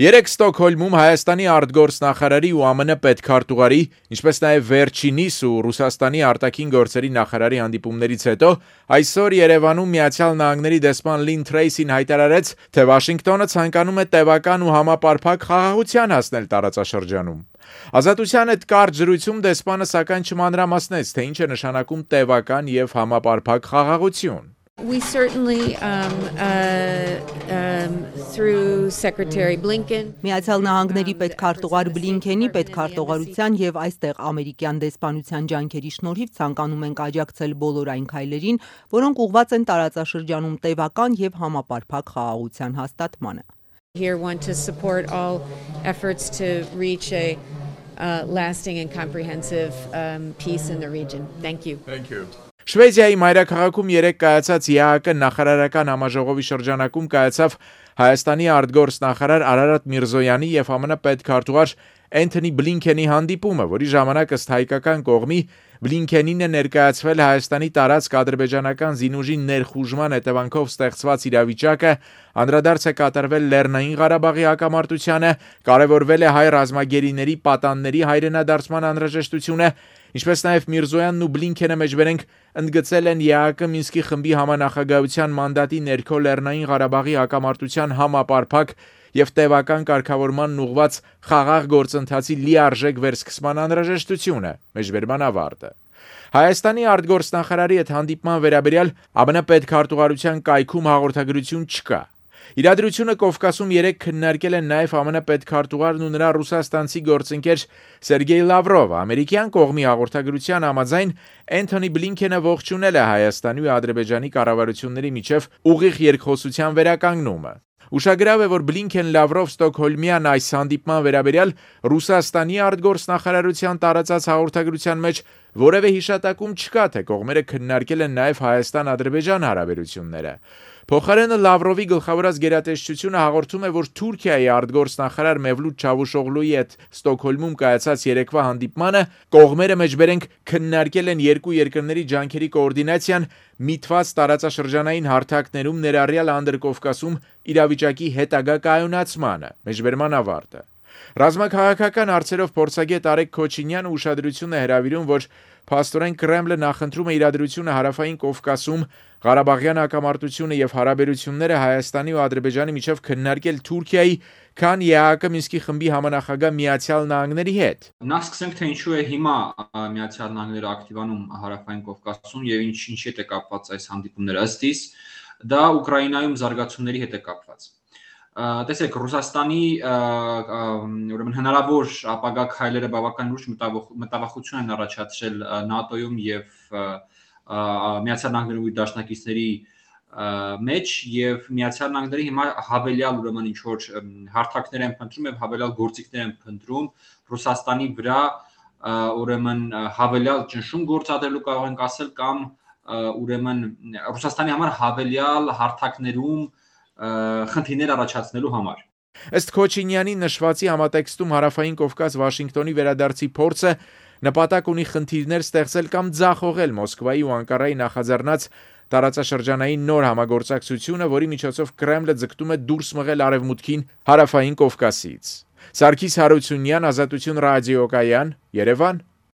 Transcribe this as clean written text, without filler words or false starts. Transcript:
Երեկ Ստոկհոլմում Հայաստանի արտգործնախարարի ու ԱՄՆ պետքարտուղարի, ինչպես նաև վերջինիս ու Ռուսաստանի արտաքին գործերի նախարարի հանդիպումներից հետո այսօր Երևանում Միացյալ Նահանգների դեսպան Լին Թրեյսին հայտարարեց, թե Վաշինգտոնը ցանկանում է տևական ու համապարփակ խաղաղության հասնել տարածաշրջանում։ Ազատության հետ կարճ զրույցում դեսպանը սակայն չմանրամասնեց, թե ինչ է նշանակում տևական եւ համապարփակ խաղաղություն։ We certainly, through Secretary Blinken, Միացյալ Նահանգների պետքարտուղար Բլինքենի պետքարտուղարության եւ այստեղ ամերիկյան դեսպանության ջանքերի շնորհիվ ցանկանում ենք աջակցել բոլոր այն քայլերին, որոնք ուղղված են տարածաշրջանում տևական եւ համապարփակ խաղաղության հաստատմանը։ Here want to support all efforts to reach a lasting and comprehensive peace in the region. Thank you. Thank you. Շվեդիայի մայրաքաղաքում երեկ կայացած ԵԱՀԿ նախարարական համաժողովի շրջանակում կայացավ Հայաստանի արտգործնախարար Արարատ Միրզոյանի եւ ԱՄՆ պետքարտուղար Էնթոնի Բլինքենի հանդիպումը, որի ժամանակ ըստ հայկական կողմի Բլինքենին է ներկայացվել Հայաստանի տարածք ադրբեջանական զինուժի ներխուժման հետևանքով ստեղծված իրավիճակը, անդրադարձ է կատարվել Լեռնային Ղարաբաղի հակամարտությանը, կարևորվել է հայ ռազմագերիների պատանների հայրենադարձման անհրաժեշտությունը, ինչպես նաև Միրզոյանն ու Բլինքենը մեջբերենք ընդգծել են ԵԱՀԿ Մինսկի խմբի համանախագահության մանդատի ներքո Լեռնային Ղարաբաղի հակամարտության համապարփակ եւ տևական կարգավորման ուղղված խաղաղ գործընթացի լիարժեք վերսկսման անհրաժեշտությունը, մեջբերման ավարտը։ Հայաստանի արտգործնախարարի հետ հանդիպման վերաբերյալ ԱՄՆ պետքարտուղարության կայքում հաղորդագրություն չկա։ Իրադրությունը Կովկասում երեկ քննարկել են նաև ԱՄՆ պետքարտուղարն ու նրա ռուսաստանցի գործընկեր Սերգեյ Լավրովը։ Ամերիկյան կողմի հաղորդագրության համաձայն Էնթոնի Բլինքենը ողջունել է Հայաստանի ու Ադրբեջանի կառավարությունների միջև ուղիղ երկխոսության վերականգնումը։ Ուշագրավ է, որ Բլինքեն-Լավրով Ստոկհոլմյան այս հանդիպման վերաբերյալ Ռուսաստանի արտգործնախարարության տարածած հաղորդագրության մեջ որևէ հիշատակում չկա, թե կողմերը քննարկել են նաև Հայաստան-Ադրբեջան հարաբերությունները։ Փոխարենը Լավրովի գլխավորած գերատեսչությունը հաղորդում է, որ Թուրքիայի արտգործնախարար Մևլութ Չավուշօղլուի հետ Ստոկհոլմում կայացած երեկվա հանդիպմանը կողմերը մեջբերենք քննարկել են երկու երկրների ջանքերի կոորդինացիան միտված տարածաշրջանային հարթակներում ներառյալ Անդրկովկասում իրավիճակի հետագա կայունացմանը, մեջբերման ավարտը։ Ռազմաքաղաքական հարցերով փորձագետ Արեգ Քոչինյանը ուշադրություն է հրավիրում, որ փաստորեն Կրեմլը նախընտրում է իրադրությունը հարավային Կովկասում, Ղարաբաղյան հակամարտությունը եւ հարաբերությունները Հայաստանի ու Ադրբեջանի միջև քննարկել Թուրքիայի, քան ԵԱՀԿ Մինսկի խմբի համանախագահ Միացյալ Նահանգների հետ։ Նախ սկսենք, թե ինչու է հիմա Միացյալ Նահանգները ակտիվանում հարավային Կովկասում եւ ինչի հետ է կապված այս հանդիպումները ըստ իս, դա Ուկրաինայում զարգացումների հետ է կապված։ Տեսեք, Ռուսաստանի ուրեմն հնարավոր ապագա քայլերը բավական լուրջ մտավախություն են առաջացրել ՆԱՏՕ-ում եւ Միացյալ Նահանգների դաշնակիցների մեջ եւ Միացյալ Նահանգները հիմա հավելյալ ուրեմն ինչ որ հարթակներ են փնտրում եւ հավելյալ գործիքներ են փնտրում Ռուսաստանի վրա ուրեմն հավելյալ ճնշում գործադրելու կարող ենք ասել կամ ուրեմն Ռուսաստանի համար հավելյալ հարթակներում խնդիրներ առաջացնելու համար։ Ըստ Քոչինյանի նշվածի համատեքստում հարավային Կովկաս Վաշինգտոնի վերադարձի փորձը նպատակ ունի խնդիրներ ստեղծել կամ ձախողել Մոսկվայի ու Անկարայի նախաձեռնած տարածաշրջանային նոր համագործակցությունը, որի միջոցով Կրեմլը ձգտում է դուրս մղել արևմուտքին հարավային Կովկասից։ Սարգիս Հարությունյան, Ազատություն ռադիոկայան, Երևան։